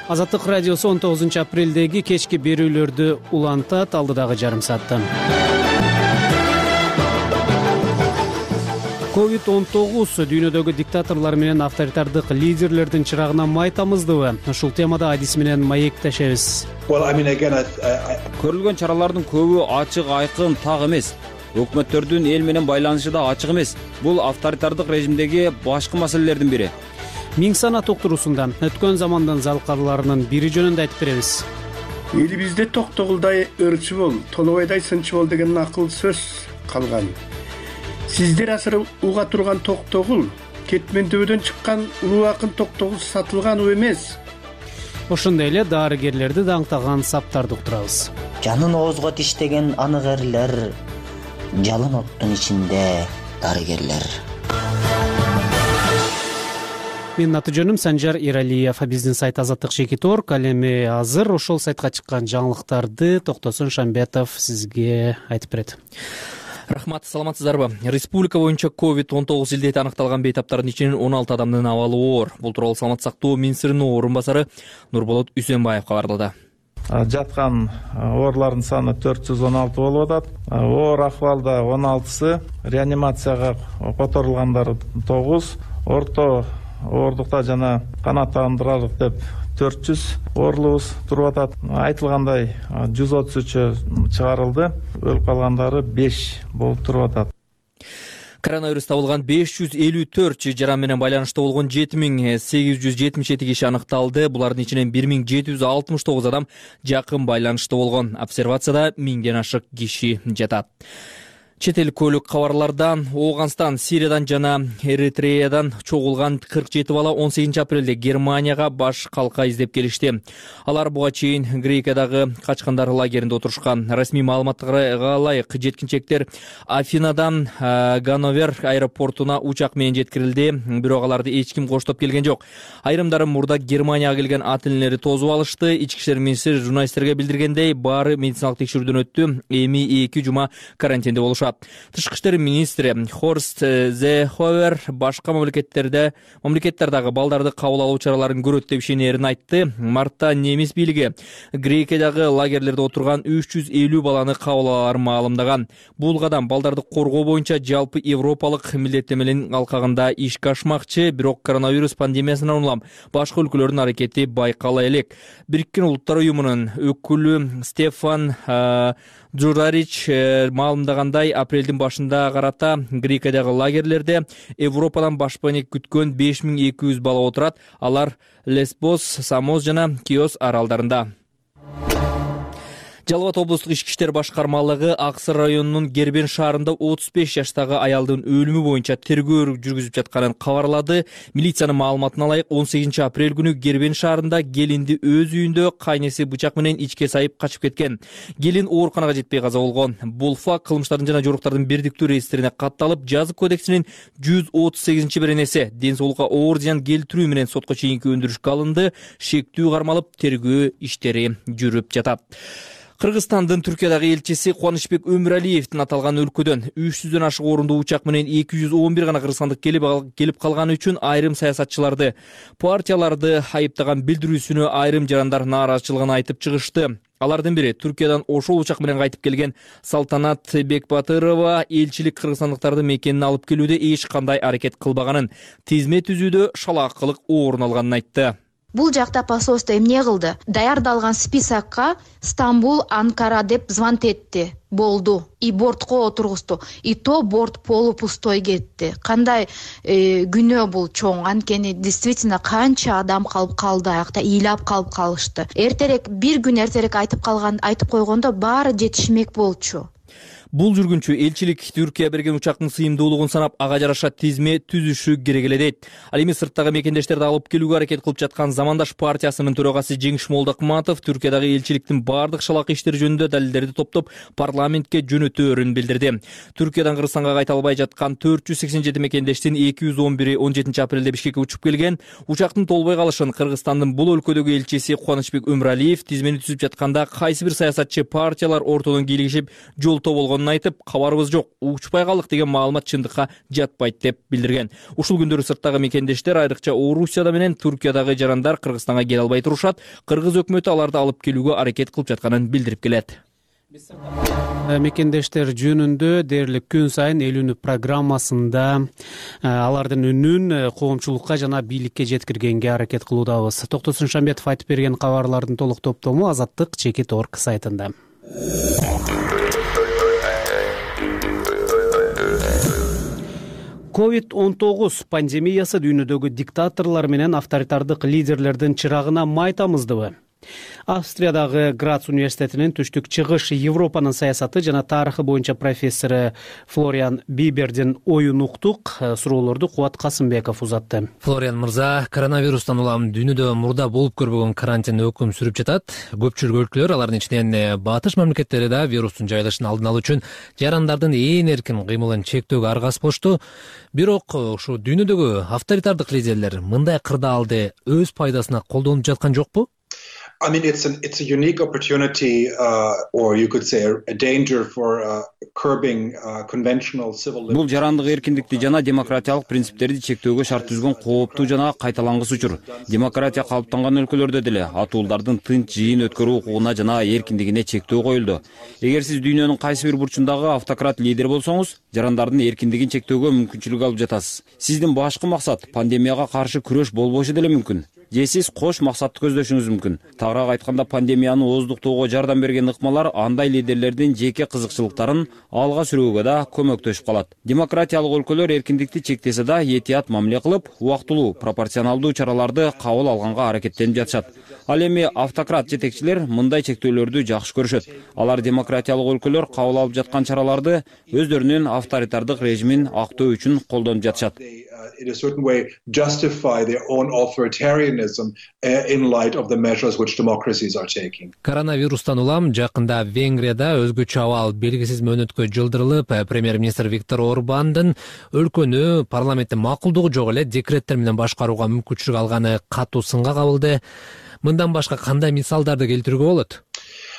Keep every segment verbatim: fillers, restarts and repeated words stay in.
Азаттык радиосу он тогузунчу апрелдеги кечки берүүлөрдү улантат. Алдыдагы жарым саатта ковид он тогуз дүйнөдөгү диктаторлор менен авторитардык лидерлердин чырагына май тамыздыбы? Ушул темада адис менен маектешебиз. Көрүлгөн чаралардын көбү ачык, айкын, так эмес. Өкмөттөрдүн эл менен байланышы да ачык эмес. Бул авторитардык режимдеги башкы маселелердин бири. Миң сана токтурусунда өткөн замандын залкарларынын бири жөнүндө айтып беребиз. Элибизде токтогулдай ырчы бол, толобойдай сынчы бол деген акыл сөз калган. Сиздер асыр уга турган токтогул, кетмендөөдөн чыккан улуу акын токтогул сатылган эмес. Ошондой эле дарыгерлерди даңктаган саптарды уктурабыз. Жанын оозго тиштеген анык эрлер, жалын оттун ичинде дарыгерлер. Менин аты жөнүм Санжар Иралиев. Биздин сайт Азаттык Чекит точка орг. Ал эми азыр ошол сайтка чыккан жаңылыктарды Токтосун Шамбетов сизге айтып берет. Рахмат, саламатсыздарбы? Республика боюнча ковид он тогуз илдети аныкталган бейтаптардын ичинен он алты адамдын абалы оор. Бул тууралуу саламаттык сактоо министринин орун басары Нурболот Үсөнбаев кабарлады. Жаткан оорлордун саны төрт жүз он алты болуп атат. Оор акыбалда он алтысы, реанимацияга которулгандар тогуз, орто оордукта жана канааттандырарлык деп төрт жүз оорлубуз туруп атат. Айтылгандай жүз отуз үчү чыгарылды, өлүп калгандары беш болуп туруп атат. Коронавирус табылган беш жүз элүү төрт жаран менен байланыштуу болгон жети миң сегиз жүз жетимиш жети киши аныкталды. Булардын ичинен бир миң жети жүз алтымыш тогуз адам жакын байланыштуу болгон. Обсервацияда миңден ашык киши жатат. Чет эл көлүк кабарлардан Ооганстан, Сириядан жана Эритреядан чогулган кырк жети бала он сегизинчи апрелде Германияга баш калка издеп келишти. Алар буга чейин Грекиядагы качкандар лагеринде отурушкан. Расмий маалыматтарга ылайык жеткинчектер Афинадан Ганновер аэропортуна учак менен жеткирилди, бирок аларды эч ким коштоп келген жок. Айрымдары мурда Германияга келген ат энелери тосуп алышты. Ички иштер министри журналисттерге билдиргендей, баары медициналык текшерүүдөн өттү. Эми эки жума карантинде болушат. Тышкы иштер министри Хорст Зеховер башка мамлекеттерде мамлекеттердагы балдарды кабыл алуу чараларын көрөт деп ишенерин айтты. Мартта немис бийлиги Грекиядагы лагерлерде отурган үч жүз элүү баланы кабыл алаарын маалымдаган. Бул кадам балдарды коргоо боюнча жалпы европалык милдеттемелердин алкагында ишке ашмакчы, бирок коронавирус пандемиясынан улам башка өлкөлөрдүн аракети байкала элек. Бириккен Улуттар уюмунун өкүлү Стефан Джурарич маалымдагандай, апрелдин башында карата Грекиядагы лагерлерде Европадан башпаник күткөн беш миң эки жүз бала отурат. Алар Лесбос, Самос жана Киос аралдарында. Жалал Абад облустук ички иштер башкармалыгы Аксыр районунун Гербен шаарында отуз беш жаштагы аялдын өлүмү боюнча тергөө жүргүзүп жатканын кабарлады. Милициянын маалыматына ылайык он сегизинчи апрель күнү Гербен шаарында келинди өз үйүндө кайнеси бычак менен ичке сайып качып кеткен. Келин ооруканага жетпей каза болгон. Бул факт кылмыштардын жана жоруктардын бирдиктүү реестрине катталып, жазык кодексинин жүз отуз сегизинчи беренеси ден соолукка оор зыян келтирүү менен сотко чейинки өндүрүшкө алынды. Шектүү кармалып, тергөө иштери жүрүп жатат. Кыргызстандын Түркиядагы элчиси Кубанычбек Өмүралиевдин аталган өлкөдөн үч жүздөн ашык орунду учак менен эки жүз он бир гана кыргызстандык келип келип калганы үчүн айрым саясатчыларды, партияларды айыптаган билдирүүсүнө айрым жарандар нааразычылыгын айтып чыгышты. Алардын бири Түркиядан ошол учак менен кайтып келген Салтанат Бекбатырова элчилик кыргызстандыктарды мекенин алып келүүдө эч кандай аракет кылбаганын, тизме түзүүдө шалаакылык орун алганын айтты. Бул жакта посольство эмне кылды? Даярдалган списокко Стамбул, Анкара деп звонт этти. Болду. И бортко отургузду. И то борт полупустой кетти. Кандай э, күнөө бул чоң. Анткени действительно канча адам калып калды аякта, ыйлап калып калышты. Эртерээк, бир күн эртерээк айтып калган, айтып койгондо баары жетишмек болчу. Бул жүргүнчү элчилик Түркия берген учактын сыйымдуулугун санап, ага жараша тизме түзүшү керек эле дейт. Ал эми сырттагы мекендештерди алып келүүгө аракет кылып жаткан Замандаш партиясынын төрагасы Жеңиш Молдокматов Түркиядагы элчиликтин бардык шалак иштери жөнүндө далилдерди топтоп парламентке жөнөтөөрүн билдирди. Түркиядан Кыргызстанга кайта албай жаткан төрт жүз сексен жети мекендештин эки жүз он бири он жетинчи апрелде Бишкекке учуп келген. Учактын толбой калышын Кыргызстандын бул өлкөдөгү элчиси Кубанычбек Өмүралиев тизмени түзүп жатканда кайсы бир саясатчы партиялар ортодон кийлигишип жолтоо болгон болгонун айтып, кабарыбыз жок, учпай калдык деген маалымат чындыкка жатпайт деп билдирген. Ушул күндөрү сырттагы мекендештер, айрыкча Орусияда менен Түркиядагы жарандар Кыргызстанга келе албай турушат. Кыргыз өкмөтү аларды алып келүүгө аракет кылып жатканын билдирип келет. Мекендештер жөнүндө дээрлик күн сайын элүүнү программасында алардын үнүн коомчулукка жана бийликке жеткиргенге аракет кылуудабыз. Токтосун Шамбетов айтып берген кабарлардын толук топтому Азаттык чекит точка орг сайтында. ковид он тогуз пандемиясы дүйнөдөгү диктаторлор менен авторитардык лидерлердин чырагына май тамыздыбы? Австриядагы Грац университетинин түштүк чыгыш Европанын саясаты жана тарыхы боюнча профессору Флориан Бибердин оюн уктук. Суроолорду Кубат Касымбеков узатты. Флориан мырза, коронавирустан улам дүйнөдө мурда болуп көрбөгөн карантин өкүм сүрүп жатат. Көпчүлүк өлкөлөр, алардын ичинен батыш мамлекеттери да вирустун жайылышын алдын алуу үчүн жарандардын ээн эркин кыймылын чектөөгө аргасып болушту. Бирок ушу дүйнөдөгү авторитардык лидерлер мындай кырдаалды өз пайдасына колдонуп жаткан жокпу? I mean, it's an it's a unique opportunity, uh, or you could say a danger for uh, curbing uh, conventional civil liberties. Бул жарандык эркиндикти жана демократиялык принциптерди чектөөгө шарт түзгөн кооптуу жана кайталангыс учур. Демократия калыптанган өлкөлөрдө деле атуулдардын тынч жыйын өткөрүү укугуна жана эркиндигине чектөө коюлду. Эгер сиз дүйнөнүн кайсы бир бурчундагы автократ лидер болсоңуз, жарандардын эркиндигин чектөөгө мүмкүнчүлүк алып жатасыз. Сиздин башкы максат пандемияга каршы күрөш болбошу деле мүмкүн. Же сиз кош максатты көздөшүңүз мүмкүн. Тагыраак айтканда, пандемияны ооздуктоого жардам берген ыкмалар андай лидерлердин жеке кызыкчылыктарын алга сүрүүгө да көмөктөшүп калат. Демократиялык өлкөлөр эркиндикти чектесе да этият мамиле кылып, убактылуу, пропорционалдуу чараларды кабыл алганга аракеттенип жатышат. Ал эми автократ жетекчилер мындай чектөөлөрдү жакшы көрүшөт. Алар демократиялык өлкөлөр кабыл алып жаткан чараларды өздөрүнүн авторитардык режимин актоо үчүн колдонуп жатышат. In a certain way justify their own authoritarianism in light of the measures which democracies are taking. Коронавирустан улам жакында Венгрияда өзгөчө абал белгисиз мөөнөткө жылдырылып, премьер-министр Виктор Орбандын өлкөнү парламенттин макулдугу жок эле декреттер менен башкарууга мүмкүнчүлүк алганы катуу сынга кабылды. Мындан башка кандай мисалдарды келтирүүгө болот?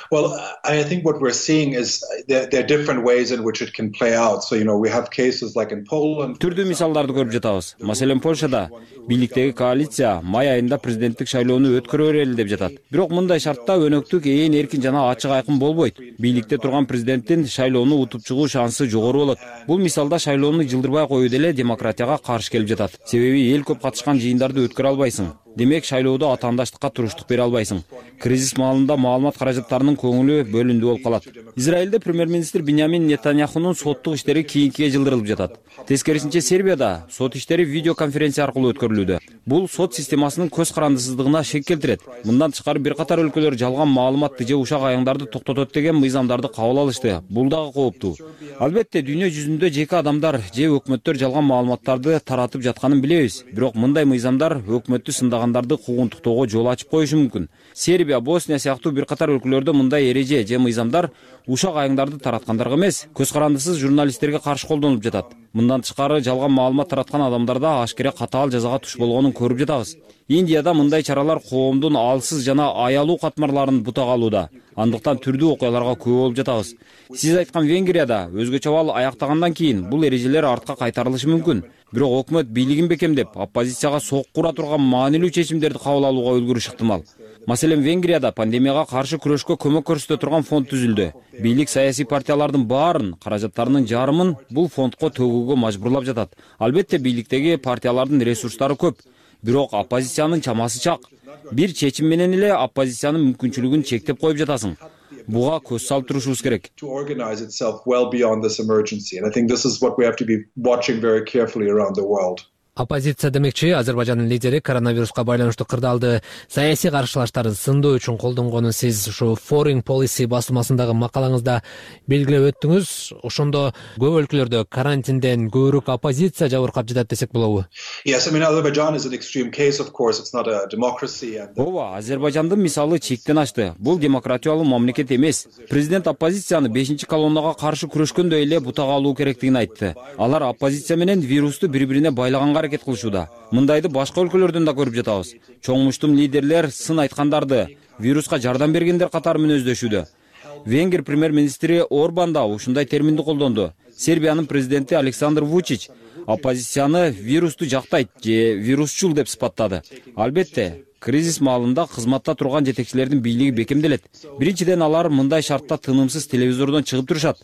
Well, I think what we're seeing is there, there are different ways in which it can play out. So, you know, we have cases like in Poland. Түрдүү мисалдарды көрүп жатабыз. Маселен, Польшада бийликтеги коалиция май айында президенттик шайлоону өткөрө берели деп жатат. Бирок мындай шартта өнөктүк ээн эркин жана ачык айкын болбойт. Бийликте турган президенттин шайлоону утуп чыгуу шансы жогору болот. Бул мисалда шайлоону жылдырбай коюу деле демократияга каршы келип жатат. Себеби эл көп катышкан жыйындарды өткөрө албайсың. Демек шайлоодо атаандаштыкка туруштук бере албайсың. Кризис маалында маалымат каражаттарынын көңүлү бөлүндү болуп калат. Израилде премьер-министр Биньямин Нетаньяхунун соттук иштери кийинкиге жылдырылып жатат. Тескерисинче Сербияда сот иштери видеоконференция аркылуу өткөрүлүүдө. Бул сот системасынын көз карандысыздыгына шек келтирет. Мындан тышкары бир катар өлкөлөр жалган маалыматты же ушак аяңдарды токтотот деген мыйзамдарды кабыл алышты. Бул дагы кооптуу. Албетте, дүйнө жүзүндө жеке адамдар же өкмөттөр жалган маалыматтарды таратып жатканын билебиз. Бирок мындай мыйзамдар өкмөттү сындагандарды куугунтуктоого жол ачып коюшу мүмкүн. Сербия, Босния сыяктуу бир катар өлкөлөрдө мындай эреже же мыйзамдар ушак аяңдарды тараткандарга эмес, көз карандысыз журналисттерге каршы колдонулуп жатат. Мындан тышкары жалган маалымат тараткан адамдарда ашкере катаал жазага туш болгонун көрүп жатабыз. Индияда мындай чаралар коомдун алсыз жана аялуу катмарларын бутага алууда. Андыктан түрдүү окуяларга күбө болуп жатабыз. Сиз айткан Венгрияда өзгөчө абал аяктагандан кийин бул эрежелер артка кайтарылышы мүмкүн. Бирок өкмөт бийлигин бекемдеп, оппозицияга сокку ура турган маанилүү чечимдерди кабыл алууга үлгүрүш ыктымал. Маселен, Венгрияда пандемияга каршы күрөшкө көмөк көрсөтө турган фонд түзүлдү. Бийлик саясий партиялардын баарын, каражаттарынын жарымын бул фондко төгүүгө мажбурлап жатат. Албетте, бийликтеги партиялардын ресурстары көп, бирок оппозициянын чамасы чак. Бир чечим менен эле оппозициянын мүмкүнчүлүгүн чектеп коюп жатасың. Буга көз салып турушубуз керек. To organize itself well beyond this emergency, and I think this is what we have to be watching very carefully around the world. Оппозиция демекчи, Азербайжандын лидери коронавируска байланыштуу кырдаалды саясий каршылаштарды сындоо үчүн колдонгонун сиз ушу Foreign Policy басылмасындагы макалаңызда белгилеп өттүңүз. Ошондо көп өлкөлөрдө карантинден көбүрөөк оппозиция жабыркап жатат десек болобу? Yes, I mean Azerbaijan is an extreme case, of course. It's not a democracy and Ооба, Азербайжандын мисалы чектен ашты. Бул демократиялуу мамлекет эмес. Президент оппозицияны бешинчи колоннага каршы күрөшкөндөй эле бутага алуу керектигин айтты. Алар оппозиция менен вирусту бири-бирине байлаганга аракет кылышууда. Мындайды башка өлкөлөрдөн да көрүп жатабыз. Чоң муштум лидерлер сын айткандарды вируска жардам бергендер катары мүнөздөшүүдө. Венгер премьер-министри Орбан да ушундай терминди колдонду. Сербиянын президенти Александр Вучич оппозицияны вирусту жактайт же вирусчул деп сыпаттады. Албетте, кризис маалында кызматта турган жетекчилердин бийлиги бекемделет. Биринчиден, алар мындай шартта тынымсыз телевизордон чыгып турушат.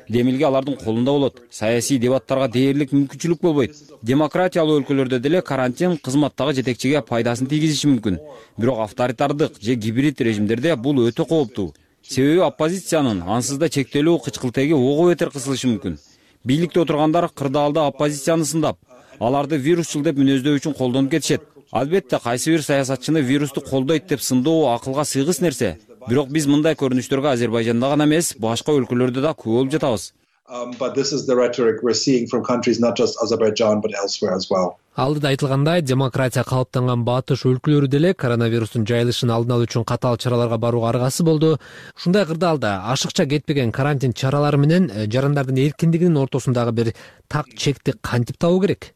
Демилге алардын колунда болот. Саясий дебаттарга дээрлик мүмкүнчүлүк болбойт. Демократиялуу өлкөлөрдө деле карантин кызматтагы жетекчиге пайдасын тийгизиши мүмкүн. Бирок авторитардык же гибрид режимдерде бул өтө кооптуу. Себеби оппозициянын ансыз да чектелүү кычкылтеги ого бетер кысылышы мүмкүн. Бийликте отургандар кырдаалда оппозицияны сындап, аларды вирусчул деп мүнөздөө үчүн колдонуп кетишет. Албетте, кайсы бир саясатчыны вирусту колдойт деп сындоо акылга сыйгыс нерсе. Бирок биз мындай көрүнүштөргө Азербайжанда гана эмес, башка өлкөлөрдө да көп болуп жатабыз. But this is the rhetoric we're seeing from countries not just Azerbaijan but elsewhere as well. Алдыда айтылгандай, демократия калыптанган батыш өлкөлөрү деле коронавирустун жайылышын алдын алуу үчүн катаал чараларга барууга аргасы болду. Ушундай кырдаалда ашыкча кетпеген карантин чаралары менен жарандардын эркиндигинин ортосундагы бир так чекти кантип табуу керек?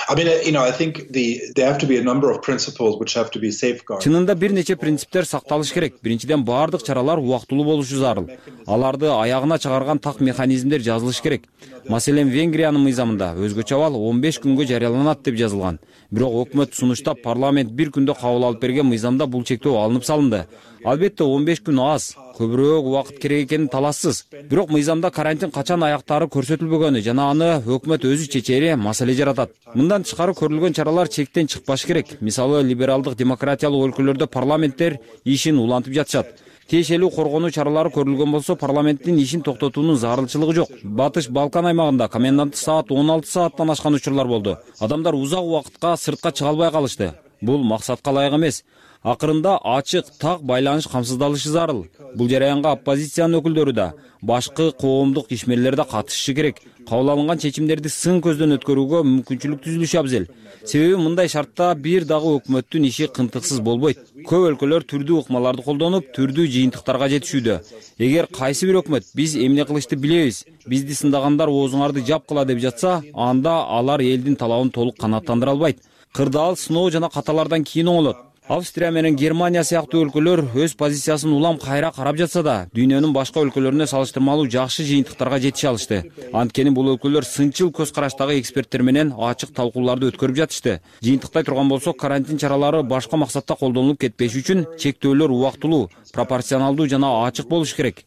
I mean, you know, I think the there have to be a number of principles which have to be safeguarded. Чынында бир нече принциптер сакталыш керек. Биринчиден, баардык чаралар убактылуу болушу зарыл. Аларды аягына чыгарган так механизмдер жазылыш керек. Маселен, Венгриянын мыйзамында өзгөчө абал он беш күнгө жарыяланат деп жазылган. Бирок өкмөт сунуштап парламент бир күндө кабыл алып берген мыйзамда бул чектөө алынып салынды. Албетте, он беш күн аз, көбүрөөк убакыт керек экени талассыз. Бирок мыйзамда карантин качан аяктары көрсөтүлбөгөнү жана аны өкмөт өзү чечери маселе жаратат. Мындан тышкары көрүлгөн чаралар чектен чыкпаш керек. Мисалы, либералдык демократиялык өлкөлөрдө парламенттер ишин улантып жатышат. Тиешелүү коргонуу чаралары көрүлгөн болсо, парламенттин ишин токтотуунун зарылчылыгы жок. Батыш Балкан аймагында коменданттык саат он алты сааттан ашкан учурлар болду. Адамдар узак убакытка сыртка чыга албай калышты. Бул максатка ылайык эмес. Акырында ачык, так байланыш камсыздалышы зарыл. Бул жараянга оппозициянын өкүлдөрү да, башкы коомдук ишмерлер да катышышы керек. Кабыл алынган чечимдерди сын көздөн өткөрүүгө мүмкүнчүлүк түзүлүшү абзел. Себеби мындай шартта бир дагы өкмөттүн иши кынтыксыз болбойт. Көп өлкөлөр түрдүү ыкмаларды колдонуп, түрдүү жыйынтыктарга жетишүүдө. Эгер кайсы бир өкмөт биз эмне кылышты билебиз, бизди сындагандар оозуңарды жапкыла деп жатса, анда алар элдин талабын толук канааттандыра албайт. Кырдаал сыноо жана каталардан кийин оңолот. Австрия менен Германия сыяктуу өлкөлөр өз позициясын улам кайра карап жатса да, дүйнөнүн башка өлкөлөрүнө салыштырмалуу жакшы жыйынтыктарга жетише алышты. Анткени бул өлкөлөр сынчыл көз караштагы эксперттер менен ачык талкууларды өткөрүп жатышты. Жыйынтыктай турган болсо, карантин чаралары башка максатта колдонулуп кетпеш үчүн чектөөлөр убактылуу, пропорционалдуу жана ачык болуш керек.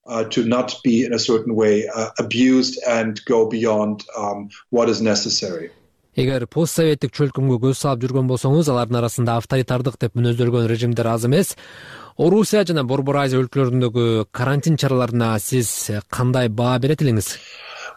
Uh, to not be in a certain way uh, abused and go beyond um, what is necessary. Эгер постсоветтик чөлкөмгө көз салып жүргөн болсоңуз, алардын арасында авторитардык деп мүнөздөлгөн режимдер аз эмес. Орусия жана Борбор Азия өлкөлөрүндөгү карантин чараларына сиз кандай баа берет элеңиз?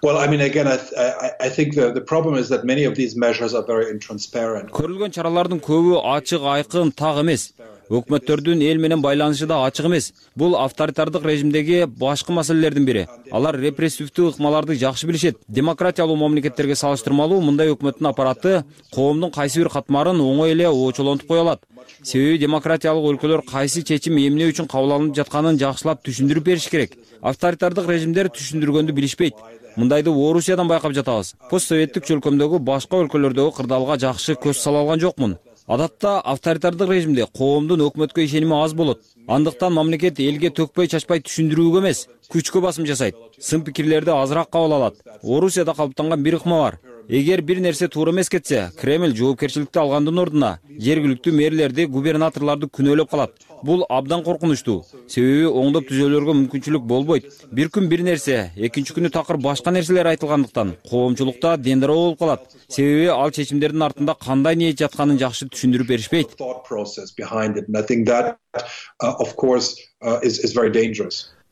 Well, I mean, again, I, I, I think the, the problem is that many of these measures are very intransparent. Көрүлгөн чаралардын көбү ачык, айкын, так эмес. Өкмөттөрдүн эл менен байланышы да ачык эмес. Бул авторитардык режимдеги башкы маселелердин бири. Алар репрессивдүү ыкмаларды жакшы билишет. Демократиялуу мамлекеттерге салыштырмалуу мындай өкмөттүн аппараты коомдун кайсы бир катмарын оңой эле оочолонтуп кое алат. Себеби демократиялык өлкөлөр кайсы чечим эмне үчүн кабыл алынып жатканын жакшылап түшүндүрүп бериш керек. Авторитардык режимдер түшүндүргөндү билишпейт. Мындайды Орусиядан байкап жатабыз. Постсоветтик чөлкөмдөгү башка өлкөлөрдөгү кырдаалга жакшы көз сала алган жокмун. Адатта авторитардык режимде коомдун өкмөткө ишеними аз болот. Андыктан мамлекет элге төкпөй чачпай түшүндүрүүгө эмес, күчкө басым жасайт. Сын пикирлерди азыраак кабыл алат. Орусияда калыптанган бир ыкма бар. Эгер бир нерсе туура эмес кетсе, Кремль жоопкерчиликти алгандын ордуна жергиликтүү мэрлерди, губернаторлорду күнөөлөп калат. Бул абдан коркунучтуу. Себеби оңдоп түзөөлөргө мүмкүнчүлүк болбойт. Бир күн бир нерсе, экинчи күнү такыр башка нерселер айтылгандыктан коомчулукта дендироо болуп калат. Себеби ал чечимдердин артында кандай ниет жатканын жакшы түшүндүрүп беришпейт.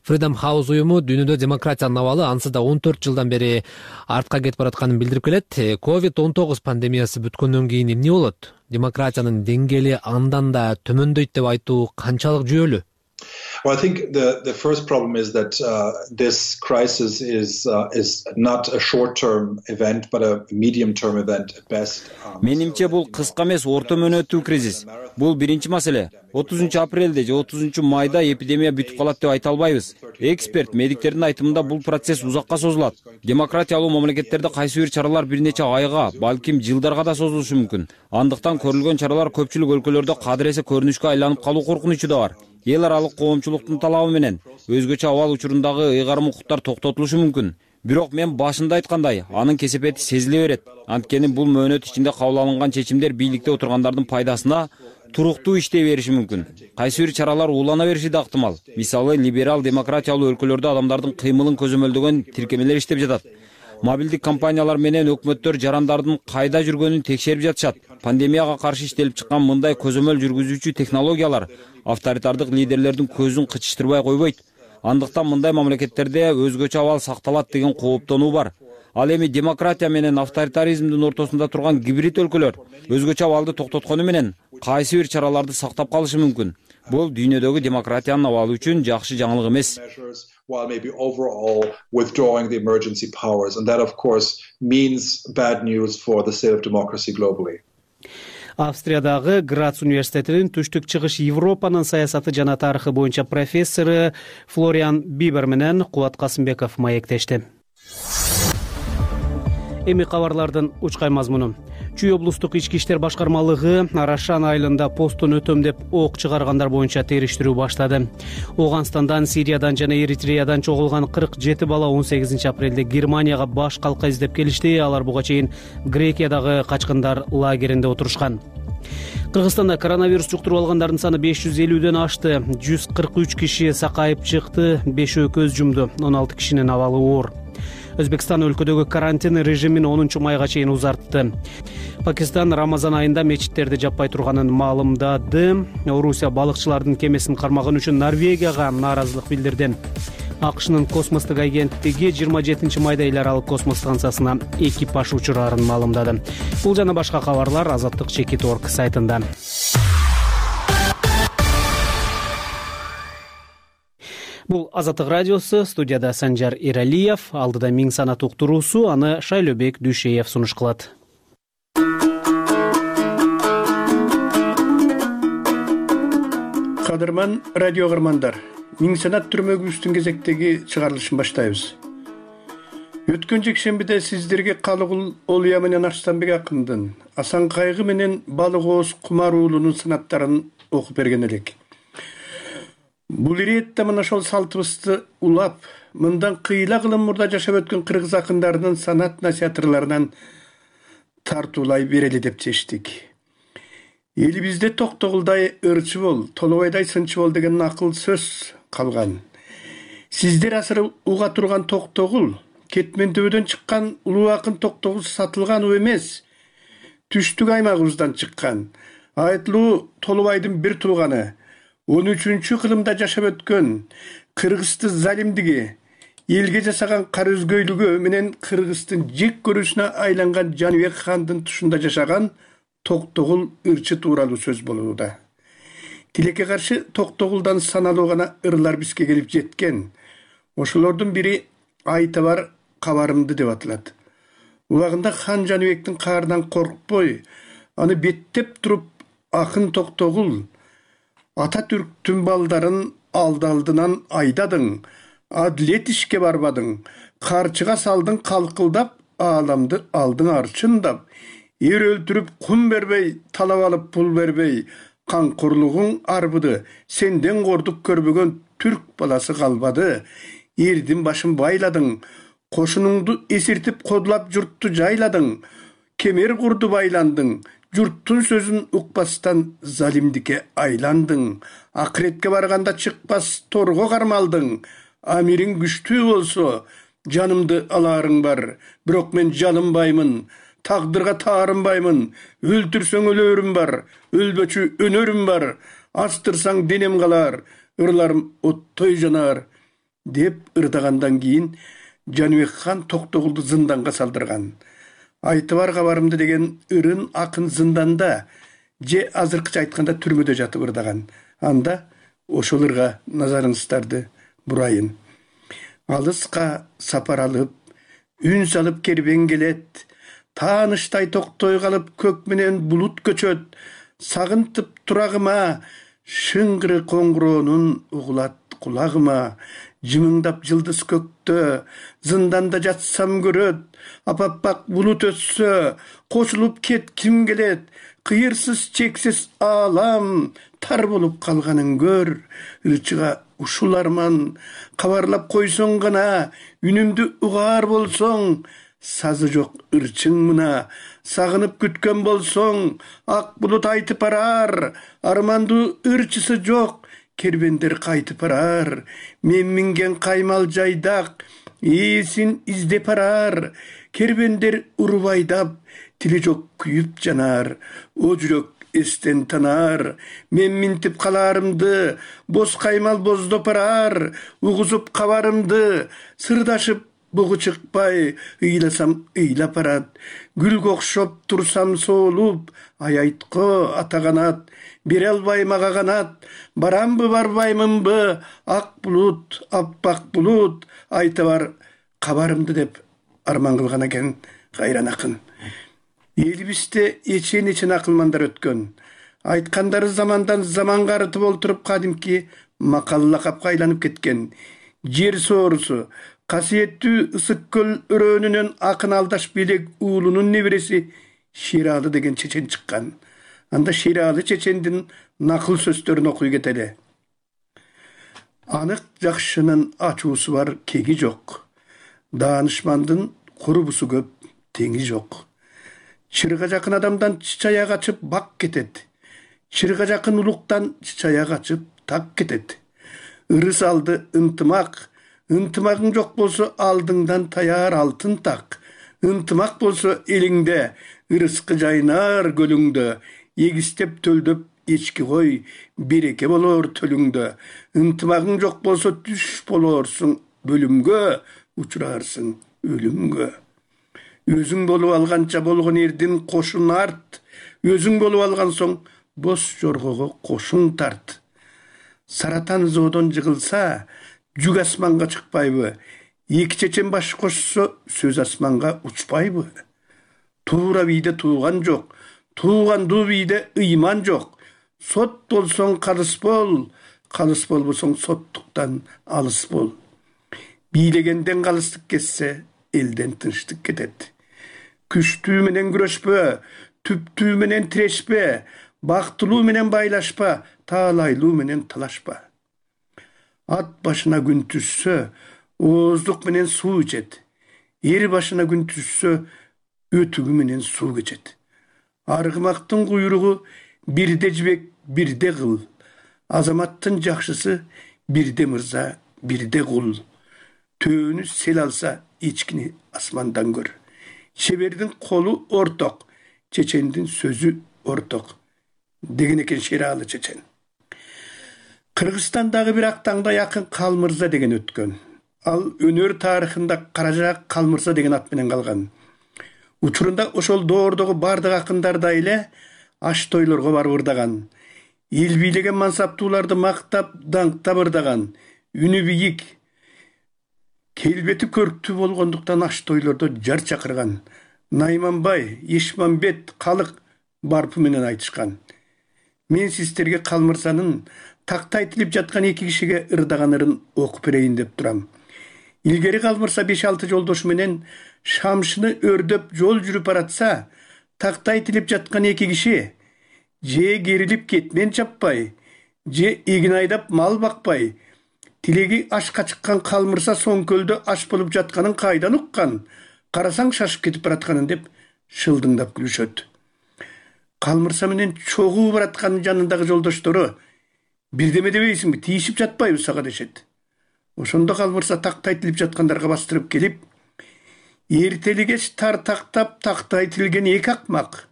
Freedom House уюму дүйнөдө демократиянын абалы ансыз да он төрт жылдан бери артка кетип баратканын билдирип келет. ковид он тогуз пандемиясы бүткөндөн кийин эмне болот? Демократиянын деңгээли андан да төмөндөйт деп айтуу канчалык жүйөлүү? Well, I think the the first problem is that uh, this crisis is uh, is not a short-term event, but a medium-term event at best. Менимче бул кыска эмес, орто мөөнөттүү кризис. Бул биринчи маселе. отузунчу апрелде же отузунчу майда эпидемия бүтүп калат деп айта албайбыз. Эксперт, медиктердин айтымында бул процесс узакка созулат. Демократиялуу мамлекеттерде кайсы бир чаралар бир нече айга, балким жылдарга да созулушу мүмкүн. Андыктан көрүлгөн чаралар көпчүлүк өлкөлөрдө кадыресе көрүнүшкө айланып калуу коркунучу да бар. эл аралык коомчулуктун талабы менен өзгөчө абал учурундагы ыйгарым укуктар токтотулушу мүмкүн. Бирок мен башында айткандай, анын кесепети сезиле берет. Анткени бул мөөнөт ичинде кабыл алынган чечимдер бийликте отургандардын пайдасына туруктуу иштей бериши мүмкүн. Кайсы бир чаралар уулана бериши да ыктымал. Мисалы, либерал демократиялуу өлкөлөрдө адамдардын кыймылын көзөмөлдөгөн тиркемелер иштеп жатат. Мобилдик компаниялар менен өкмөттөр жарандардын кайда жүргөнүн текшерип жатышат. Пандемияга каршы иштелип чыккан мындай көзөмөл жүргүзүүчү технологиялар авторитардык лидерлердин көзүн кычыштырбай койбойт. Андыктан мындай мамлекеттерде өзгөчө абал сакталат деген кооптонуу бар. Ал эми демократия менен авторитаризмдин ортосунда турган гибрид өлкөлөр өзгөчө абалды токтоткону менен кайсы бир чараларды сактап калышы мүмкүн. Бул дүйнөдөгү демократиянын абалы үчүн жакшы жаңылык эмес. While maybe overall withdrawing the emergency powers, and that of course means bad news for the state of democracy globally. Австриядагы Грац университетинин түштүк чыгыш Европанын саясаты жана тарыхы боюнча профессору Флориан Бибер менен Кубат Касымбеков маектешти. Эми кабарлардын учкай мазмуну. Чүй облустук ички иштер башкармалыгы Арашан айылында посттон өтөм деп ок чыгаргандар боюнча териштирүү баштады. Оганстандан, Сириядан жана Эритреядан чогулган кырк жети бала он сегизинчи апрелде Германияга баш калка издеп келишти. Алар буга чейин Грекиядагы качкындар лагеринде отурушкан. Кыргызстанда коронавирус жуктуруп алгандардын саны беш жүз элүүдөн ашты. жүз кырк үч киши сакайып чыкты, бешөө көз жумду, он алты кишинин абалы оор. Өзбекстан өлкөдөгү карантин режимин онунчу майга чейин узартты. Пакистан Рамазан айында мечиттерди жаппай турганын маалымдады. Орусия балыкчылардын кемесин кармаган үчүн Норвегияга нааразылык билдирди. АКШнын космостук агенттиги жыйырма жетинчи майда эл аралык космос станциясына экипаж учурарын маалымдады. Бул жана башка кабарлар Азаттык чекит точка орг сайтында. Бул Азаттык радиосу, студияда Санжар Иралиев, алдыда миң санат уктуруусу, аны Шайлөбек Дүйшеев сунуш кылат. Кадырман радио кырмандар, миң санат түрмөгүбүздүн кезектеги чыгарылышын баштайбыз. Өткөн жекшембиде сиздерге Калыгул Олуя менен Арстанбек акындын, Асан Кайгы менен Балык Ооз Кумар уулунун санаттарын окуп берген элек. Бул иретте мына ошол салтыбызды улап, мындан кыйла кылым мурда жашап өткөн кыргыз акындарынын санат насихаттарларынан тартуулай берели деп чечтик. Элибизде Токтогулдай ырчы бол, Толобайдай сынчы бол деген акыл сөз калган. Сиздер асыры уга турган Токтогул, кетмендөөдөн чыккан улуу акын Токтогул сатылган у эмес, түштүк аймагыбыздан чыккан. Айтылуу Толобайдын бир тууганы, он үчүнчү кылымда жашап өткөн кыргыздын залимдиги, элге жасаган кара өзгөйлүгү менен кыргыздын жек көрүүсүнө айланган Жаныбек хандын тушунда жашаган Токтогул ырчы тууралуу сөз болууда. Тилекке каршы Токтогулдан саналуу гана ырлар бизге келип жеткен. Ошолордун бири Айтабар кабарымды деп аталат. Убагында хан Жаныбектин каарынан коркпой, аны беттеп туруп акын Токтогул Ататүрктүн балдарын алды-алдынан айдадың, адлет ишке барбадың, карчыга салдың калкылдап, ааламды алдың арчындап, эр өлтүрүп кум бербей, талап алып пул бербей, камкорлугуң арбыды, сенден кордук көрбөгөн түрк баласы калбады, эрдин башын байладың, кошунуңду эсиртип кодулап журтту жайладың, кемер курду байландың, журттун сөзүн укпастан залимдикке айландың, акыретке барганда чыкпас торго кармалдың, амириң күчтүү болсо, жанымды аларың бар, бирок мен жалынбаймын, тагдырга таарынбаймын, өлтүрсөң өлөрүм бар, өлбөчү өнөрүм бар, астырсаң денем калар, ырларым оттой жанар, деп ырдагандан кийин Жаныбек хан Токтогулду зынданга салдырган. Айтыбар кабарымды деген ырын акын зынданда, же азыркыча айтканда түрмөдө жатып ырдаган. Анда ошол ырга назарыңыздарды бурайын. Алыска сапар алып, үн салып кербен келет, тааныштай токтой калып көк менен булут көчөт, сагынтып турагыма, шыңгыры коңгуроонун угулат кулагыма, жымыңдап жылдыз көктө, зынданда жатсам көрөт, апаппак булут өссө, кошулуп кетким келет, кыйырсыз чексиз аалам, тар болуп калганын көр, ырчыга ушул арман, кабарлап койсоң гана, үнүмдү угаар болсоң, сазы жок ырчың мына, сагынып күткөн болсоң, ак булут айтып барар, армандуу ырчысы жок, кербендер кайтып барар, мен минген каймал жайдак, ээсин издеп барар, кербендер уруп айдап, тили жок күйүп жанар, о жүрөк эстен танар, мен минтип калаарымды, боз каймал боздоп барар, угузуп кабарымды, сырдашып бугу чыкпай, ыйласам ыйлап барат, гүлгө окшоп турсам соолуп, аятко ата канат, бере албайм ага канат, барамбы барбаймынбы, ак булут, аппак булут, айта бар кабарымды деп арман кылган экен кайран акын. Элибизде эчен эчен акылмандар өткөн. Айткандары замандан заманга арытып олтуруп кадимки макал лакапка айланып кеткен. Жер соорусу, касиеттүү ысык көл өрөөнүнөн акын алдаш белек уулунун небереси Шералы деген чечен чыккан. Анда Шералы чечендин накыл сөздөрүн окуй кетели. Анык жакшынын ачуусу бар, кеги жок. Даанышмандын курбусу көп, теңи жок. Чырга жакын адамдан чычая качып бак кетет. Чырга жакын улуктан чычая качып так кетет. Ырыс алды ынтымак, ынтымагың жок болсо алдыңдан таяр алтын так. Ынтымак болсо элиңде, ырыскы жайнар көлүңдө, эгистеп төлдөп эчки кой, береке болор төлүңдө. Ынтымагың жок болсо түш болорсуң бөлүмгө, учурарсың өлүмгө. Өзүң болуп алганча болгон эрдин кошун арт, өзүң болуп алган соң бос жоргого кошуң тарт. Саратан зоодон жыгылса, жүк асманга чыкпайбы? Эки чечен баш кошсо, сөз асманга учпайбы? Туура бийде тууган жок, туугандуу бийде ыйман жок. Сот болсоң калыс бол, калыс болбосоң соттуктан алыс бол. Бийлегенден калыстык кетсе, элден тынчтык кетет. Күчтүү менен күрөшпө, түптүү менен тирешпе, бактылуу менен байлашпа, таалайлуу менен талашпа. Ат башына күн түшсө, ооздук менен суу ичет. Эр башына күн түшсө, өтүгү менен суу кечет. Аргымактын куйругу бирде жибек, бирде кыл. Азаматтын жакшысы бирде мырза, бирде кул. Төөнү сел алса, эчкини асмандан көр. Шебердин колу орток, чечендин сөзү орток. Деген экен Шералы чечен. Кыргызстандагы бир актаңда якын Калмырза деген өткөн. Ал өнөр тарыхында Каражаак Калмырза деген ат менен калган. Учурунда ошол доордогу бардык акындарда эле аш тойлорго барып ырдаган. Эл бийлеген мансаптууларды мактап, даңктап ырдаган. Үнү бийик, келбети көрктүү болгондуктан аш тойлордо жар чакырган. Найманбай, Ешмамбет, Калык барпы менен айтышкан. Мен сиздерге Калмырзанын такта айтылып жаткан эки кишиге ырдаган ырын окуп берейин деп турам. Илгери Калмырза беш алты жолдошу менен шамшыны өрдөп жол жүрүп баратса, такта айтылып жаткан эки киши же керилип кетмен чаппай, же эгин айдап мал бакпай, тилеги ашка чыккан Калмырза соңкөлдө аш болуп жатканын кайдан уккан, карасаң шашып кетип баратканын деп шылдыңдап күлүшөт. Калмырза менен чогуу бараткан жанындагы жолдоштору бирдеме дебейсиңби, тийишип жатпайбы сага дешет. Ошондо Калмырза такта айтылып жаткандарга бастырып келип, эртели кеч тар тактап такта айтылген эки акмак,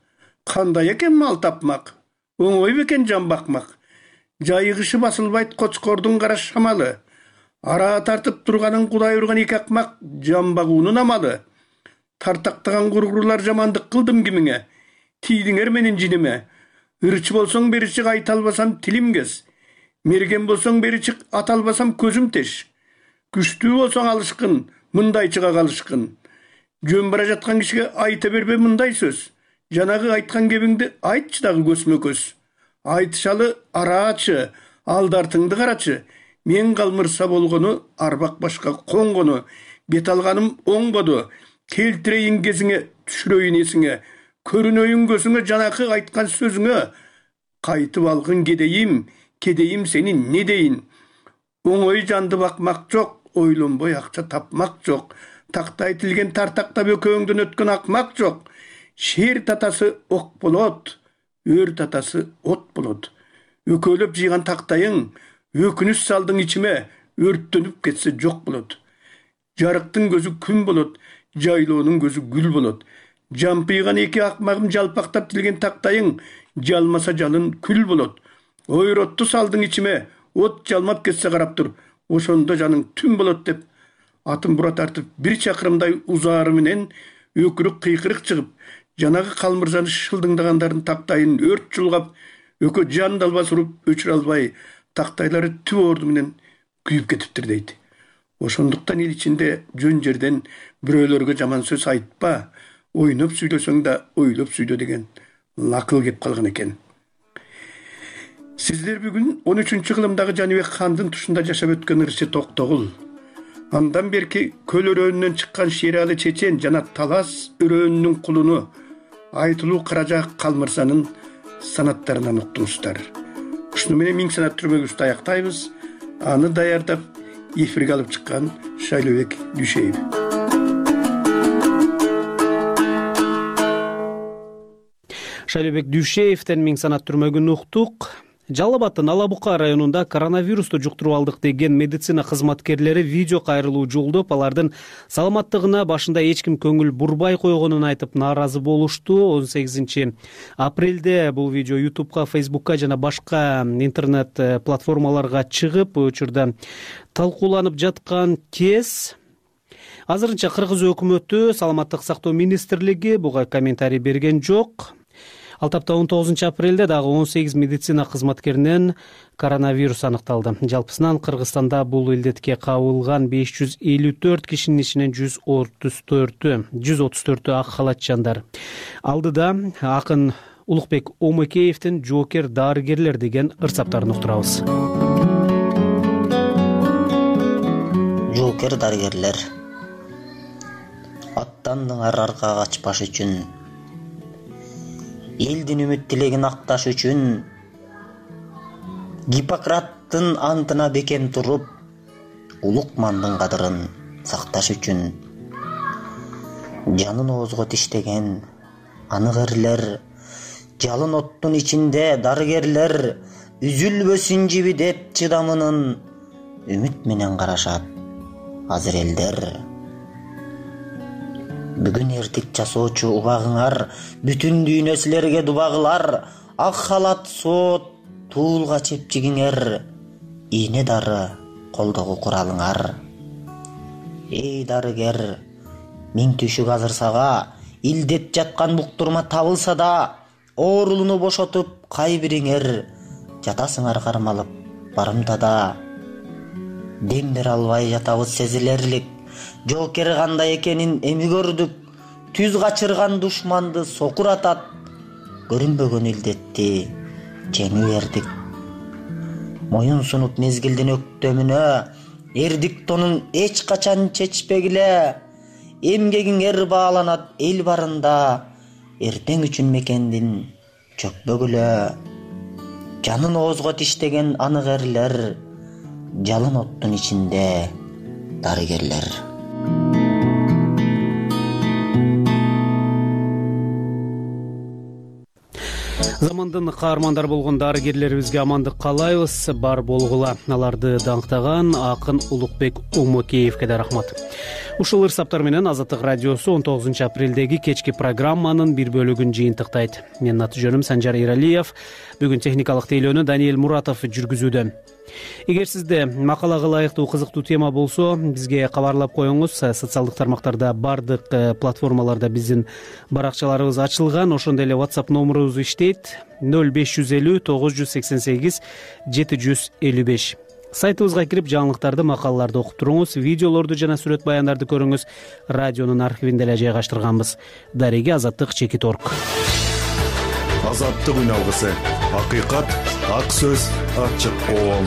кандай экен мал тапмак, оңой бекен жан бакмак. Жайыгышы басылбайт кочкордун кара шамалы, ара тартып турганын Кудай урган эки акмак жан багуунун амалы. Тартактаган кургурлар жамандык кылдым кимиңе, тийдиңер менин жиниме. Ырчы болсоң бери чык, айта албасам тилим кез. Мерген болсоң бери чык, ата албасам көзүм теш. Күчтүү болсоң алышкын, мындай чыга калышкын. Жөн бара жаткан кишиге айта бербе мындай сөз. Жанагы айткан кебиңди айтчы дагы көзмө көз. Айтышалы араачы, алдартыңды карачы. мен калмырса болгону, арбак башка коңгону, бет алганым оңбоду, келтирейин кезиңе, түшүрөйүн эсиңе, көрүнөйүн көзүңө, жанакы айткан сөзүңө, кайтып алгын кедейим, кедейим сени не дейин, оңой жанды бакмак жок, ойлонбой акча тапмак жок, такта айтылген тартактап экөөңдөн өткөн акмак жок, шер татасы ок болот, өр татасы от болот, өкөлөп жыйган тактайың, өкүнүч салдың ичиме, өрттөнүп кетсе жок болот, жарыктын көзү күн болот, жайлоонун көзү гүл болот, жампыйган эки акмагым жалпактап тилген тактайың, жалмаса жалын күл болот, ойротту салдың ичиме, от жалмап кетсе карап тур, ошондо жаның түн болот деп, атын бура тартып бир чакырымдай узаары менен өкүрүк кыйкырык чыгып, жанагы калмырзаны шылдыңдагандардын тактайын өрт жулгап, өкө жан далбас уруп өчүрө албай, тактайлары түп орду менен күйүп кетиптир дейт. Ошондуктан эл ичинде жөн жерден бирөөлөргө жаман сөз айтпа, ойноп сүйлөсөң да ойлоп сүйлө деген накыл кеп калган экен. Сиздер бүгүн он үчүнчү кылымдагы Жаныбек хандын тушунда жашап өткөн ырчы Токтогул, андан берки Көл өрөөнүнөн чыккан Шерали чечен жана Талас өрөөнүнүн кулуну Айтылуу Каражак Калмырзанын санаттарынан уктуңуздар. Ушуну менен миң санат түрмөгүбүздү аяктайбыз. Аны даярдап эфирге алып чыккан Шайлообек Дүйшеев. Шайлообек Дүйшеевден миң санат түрмөгүн уктук. Жалал Абадтын Ала Бука районунда коронавирусту жуктуруп алдык деген медицина кызматкерлери видео кайрылуу жолдоп, алардын саламаттыгына башында эч ким көңүл бурбай койгонун айтып нааразы болушту. он сегизинчи апрелде бул видео ютубка, фейсбукка жана башка интернет платформаларга чыгып, учурда талкууланып жаткан кез. Азырынча Кыргыз өкмөтү, Саламаттык сактоо министрлиги буга комментарий берген жок. Ал тапта он тогузунчу апрелде дагы он сегиз медицина кызматкеринен коронавирус аныкталды. Жалпысынан Кыргызстанда бул илдетке кабылган беш жүз элүү төрт кишинин ичинен жүз отуз төртү ак халатчандар. Алдыда акын Улукбек Омекеевдин жоокер дарыгерлер деген ырсаптарын уктурабыз. Жоокер дарыгерлер аттандыңар аркага качпаш үчүн, элдин үмүт тилегин акташ үчүн, Гиппократтын антына бекем туруп, улукмандын кадырын сакташ үчүн, жанын оозго тиштеген анык эрлер, жалын оттун ичинде дарыгерлер, үзүлбөсүн жиби деп чыдамынын үмүт менен карашат азыр элдер. Бүгүн эртик жасоочу убагыңар, бүтүн дүйнө силерге дубагылар, ак халат соот туулга чепчигиңер, ийне дары колдогу куралыңар. Эй дарыгер, миң түшүк азыр сага, илдет жаткан буктурма табылса да, оорулууну бошотуп кай бириңер жатасыңар кармалып барымтада. Дем бере албай жатабыз сезилерлик, жоокер кандай экенин эми көрдүк, түз качырган душманды сокуратат, көрүнбөгөн илдетти жеңип бердик. Моюн сунуп мезгилдин өктөмүнө, эрдик тонун эч качан чечпегиле, эмгегиңер бааланат эл барында, эртең үчүн мекендин чөкпөгүлө. Жанын оозго тиштеген анык эрлер, жалын оттун ичинде дарыгерлер. Замандын каармандар болгон дарыгерлерибизге амандык каалайбыз, бар болгула. Аларды даңктаган акын Улукбек Омекеевге да рахмат. Ушул ырсаптар менен Азаттык радиосу он тогузунчу апрелдеги кечки программанын бир бөлүгүн жыйынтыктайт. Менин аты жөнүм Санжар Иралиев. Бүгүн техникалык тейлөөнү Даниэль Муратов жүргүзүүдө. Эгер сизде макалага ылайыктуу кызыктуу тема болсо, бизге кабарлап коюңуз. Социалдык тармактарда, бардык платформаларда биздин баракчаларыбыз ачылган. Ошондой эле WhatsApp номерубуз иштейт: ноль беш жүз элүү тогуз жүз сексен сегиз жети жүз элүү беш. Сайтыбызга кирип жаңылыктарды, макалаларды окуп туруңуз, видеолорду жана сүрөт баяндарды көрүңүз. Радионун архивинде эле жайгаштырганбыз. Дареги Азаттык чекит точка орг. Азаттык үн алгысы, акыйкат, ак сөз, ачык оол.